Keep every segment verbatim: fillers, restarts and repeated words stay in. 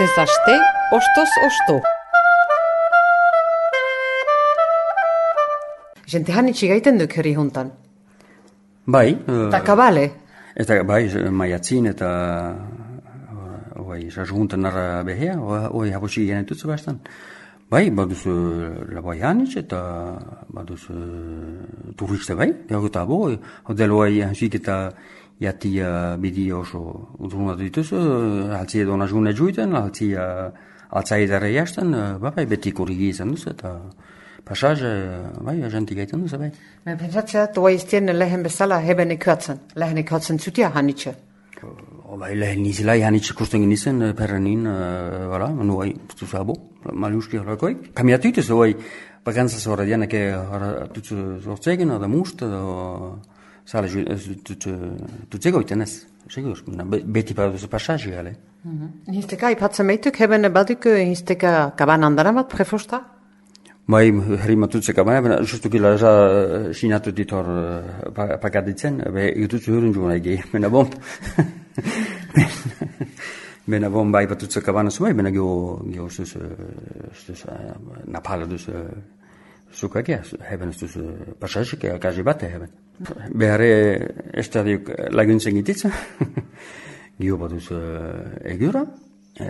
Astez aste, ostoz osto. Jente hanitsi gaiten duk herri juntan. Bai. Eta kabale. Eta bai, maiatzin eta oi, rajuntan narra behea, oi habosi genen tutsu bastan. Bai, baduz labai hanitz eta baduz turiste bai, jaguta bo, hodel oi hansik eta jatia bidi oso udruna dituz, altzi edo najune juiten, altzi altzaidare jastan, bai, beti kurigi izan duz eta pasaz, bai, agenti gaiten duz, bai. Men pentsatzea, toa iztien lehen bezala heben ikatzen, lehen ikatzen zutia hanitxe. Bai, lehen nizela hanitxe kusten ginizen, perrenin, voilà, nu bai, zuzabo, maliuski horakoik. Kamiatu ituz, bai, bakantzaz horra dianake tutsu zortzegen, da must, da sala tutzego iten ez, segur, beti paduzu pasaz gale. Hizteka ipatzen meituk, heben baduk hizteka kaban andara bat prefosta? Bai, herri matutze kabana, justuki laza sinatu ditor pakaditzen, be jututzu hurun juuna egi, mena bom. Mena bom bai patutze kabana sumai, mena gio, gio sus, sus, napala dus sukake, heben sus pasazike, akazi bate heben. Behare estadiuk laguntzen gititza, gio batuz egura,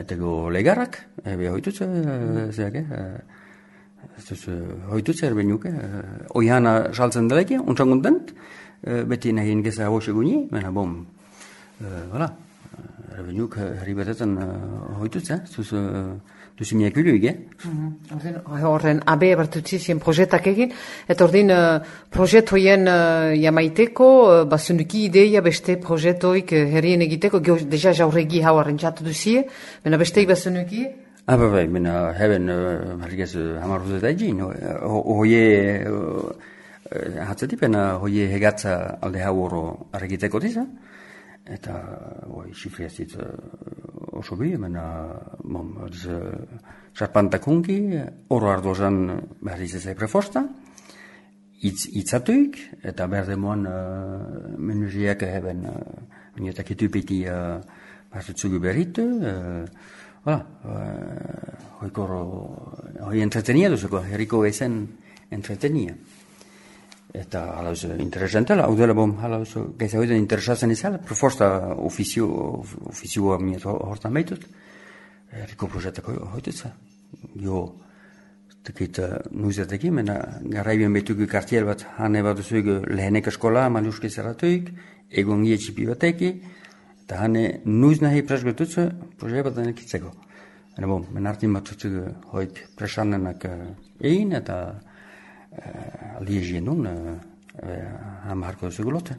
tego legarak, ebe hoitutze, zeake, ez hoitutze erbenuke, oihana saltzen deleke, untsanguntent, beti nahin geza hauxe guni, mena bom, voilà, erbenuk herri betetan hoitutze, zuz duzimiak biluige. Horren abe bertutzizien projetak egin, eta ordin projet hoien jamaiteko, basunduki ideia beste projetoik herrien egiteko, deja jauregi hau arrentzatu duzie, mena besteik basunduki? Ah, bai, bai, mena heben, harrigaz, hamarruzet egin, hoie, hatzatipena, hoie hegatza alde hau oro arregiteko diza, eta, oi, xifriazit oso bi, mena, bom, sarpantakunki, oro ardozan behar izazai prefosta, itzatuik, eta behar demoan menuziak heben, menuetak etupiti behar zugu berritu, voilà, hoi koro, hoi entretenia duzuko, herriko ezen entretenia. Eta halauz interesantela, hau dela bom, halauz gaisa hoiden interesatzen izala, preforsta ofizio, ofizioa miet hortan behitut, herriko projektako hoitutza. Jo, tekit nuizatekin, mena garraibien behitugu kartiel bat, hane bat duzugu lehenek eskola, maluski zerratuik, egon gie txipi bateki, eta hane nuiz nahi presgetutzu, proiekt bat denek itzeko. Hane bom, menartin bat dutzugu hoik presanenak egin, eta aldi egin duen, hamarko duzugu lote.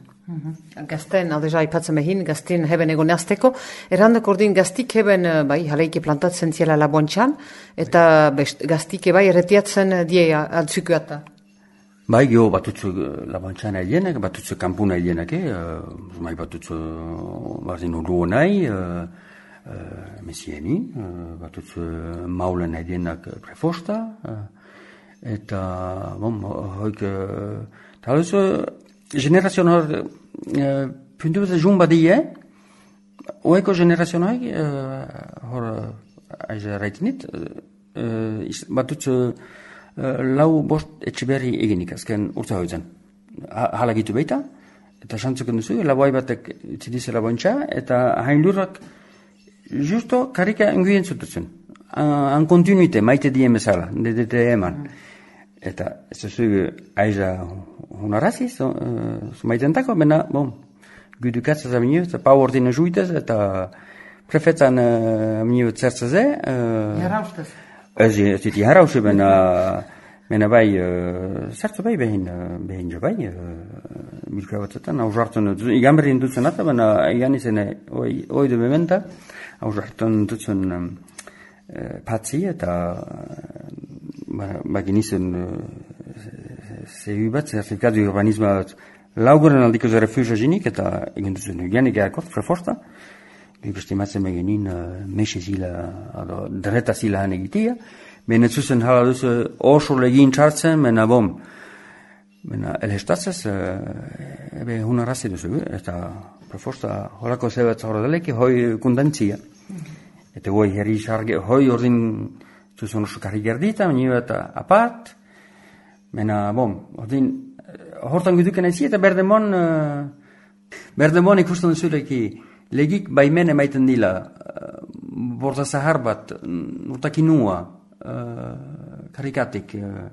Gazten, aldeja ipatzen behin, gazten heben egon azteko, errandak ordin gaztik heben, bai, jaleike plantatzen ziela labontxan, eta gaztik bai erretiatzen die altzukuata. Bai, gio batutzu labontxan egienek, batutzu kampuna egienek, bai batutzu bardin urruo nahi, mesieni, batutzu maulen egienek prefosta, eta, bom, hoik, taluz, generazion hor, puntu bat jun badie, oeko generazion hori, hor, aiza raitinit, batutzu lau bost etxiberri eginik, azken urtza hoitzen. Hala gitu beita, eta xantzuken duzu, laboi batek itzidize labointza, eta hain lurrak justo karika enguien zututzen. Han kontinuite, maite dien bezala, dedete eman. Eta ez duzu aiza hunarazi, zumaitentako, bena, bom, gudukatzaz aminio, eta pau ordine juitez, eta prefetzan aminio zertzaze. Jaraustez. Ez ziti jarauze, bena, bena bai, zertza bai behin, behin jo bai, bilka batzetan, hau jartzen, igan berrin dutzen ata, bena, igan izan, oi du bementa, hau jartzen dutzen patzi, eta bagin izan zehu bat, zertifikatu urbanismo bat, lauguren aldiko ze refugio jinik, eta egin duzen hygienik eakot, preforsta, estimatzen begenin mexe zila, dreta zila han egitia, bene zuzen hala duzu oso legin txartzen, mena bom, mena elhestatzez, ebe hunarazi duzu, eta preforsta horako zebat horre daleki, hoi kundantzia. Eta hoi herri sarge, hoi ordin zuzun oso karri gerdita, nio eta apart. Mena, bom, ordin, hortan guduken ezi eta berdemon, uh, berdemon ikusten zureki, legik baimen emaiten dila, uh, borda zahar bat, nurtakinua, uh, karikatik, uh,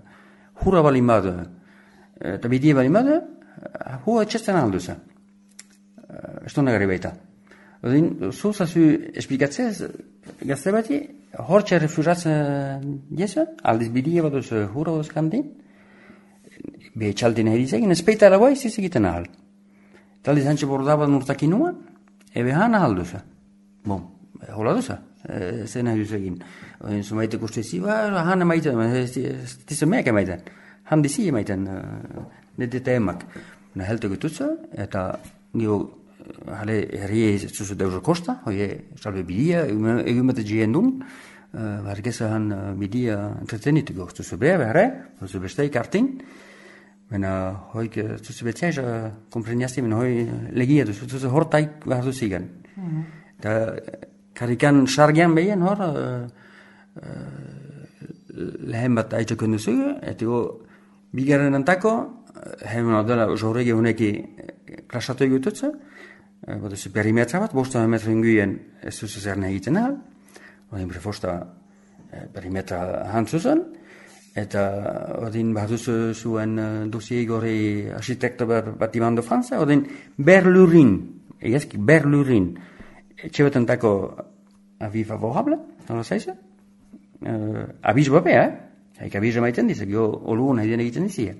hura balimadu, eta uh, bidie balimadu, uh, hua txesten alduza. Uh, Esto nagari baita. Odin, zuza zu esplikatzez, gazte bati, hortxe refusatzen jesa, aldiz bidie bat duz hura duz kandin, be txaldin erizegin, espeita eragoa iziz egiten ahal. Taldiz hantxe bordabat nurtakinua, ebe han ahal duza. Bom, hola duza, e, zen nahi duz egin. Odin, zu maite kustezi, ba, han emaiten, tizen meak emaiten, han dizi emaiten, nedeta emak. Na helte gututza, eta gio, hale herrie zuzu deuzo kosta, hoie salve bidia, egin bete gien dun, bargeza han bidia entretenituko, zuzu bea behare, zuzu besteik artin, mena hoik zuzu betziaiz kompreniazti, mena hoi legia duzu, zuzu hortaik behar duzigan. Eta karikan sargian behien hor, lehen bat aitzakon duzu, eta go, bigaren antako, hemen adela jorrege honeki klasatu egututza, Bada zu perimetra bat, bosta metra inguien ez zuzu zer nahi egiten ahal. Odin prefosta perimetra hantzuzen. Eta odin behar duzu zuen dosie gori architekta batiman de Franza. Odin berlurin, egezki berlurin, txebetentako avi favorable, nola zaizu? Uh, abiz bapea, eh? Haik abiz emaiten dizak, jo olu nahi den egiten dizia.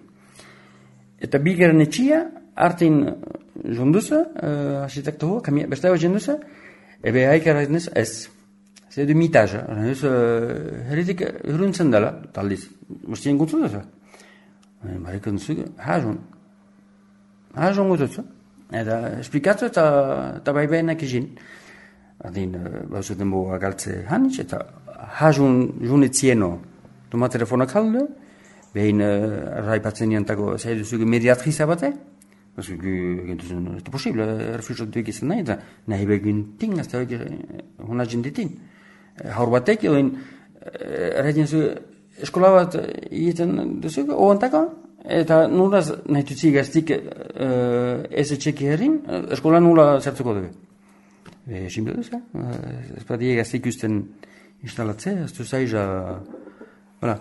Eta bigaren etxia, artin jonduza, uh, architekta hoa, beste hau jonduza, ebe haik erraiten ez, ez. C'est du mitage. Ez, uh, herritik huruntzen dela, taldiz. Mustien gutzu duza. Barrikan zuge, hajon. Hajon gutzu. Eta esplikatu eta, eta bai behenak izin. Adin, uh, bauzuten bo agaltze hanitz, eta hajon junetzieno. Toma telefonak halde, behin uh, raipatzen niantako zaidu zuge mediatriza bate, parce que c'est possible, refusatu egizan nahi, eta nahi begin ting, ez da hona jenditin. Haur batek, egin, erraiten zu, eskola bat egiten duzu, oantako, eta nula nahi tutzi gaztik ez etxeki herrin, eskola nula zertuko dugu. Simple duz, ez bat die gaztik usten instalatze, ez du zaiza, voilà.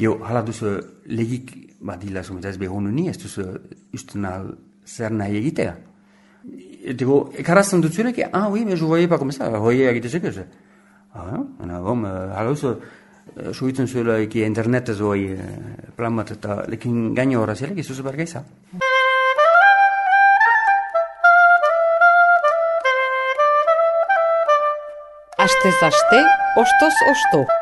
Gio, hala duzu legik badila sometaz behonu ni, ez duzu usten al zer nahi egitea. Digo, ekarazten dut zurek, ah, oui, mais je voyais pas comme ça, hoie egite zekez. Ah, ena, bom, hala duzu, suitzen zuela eki internetez hoi plan bat eta lekin gaino horra zelek, izuzu bergeiza. Astez aste, ostoz osto.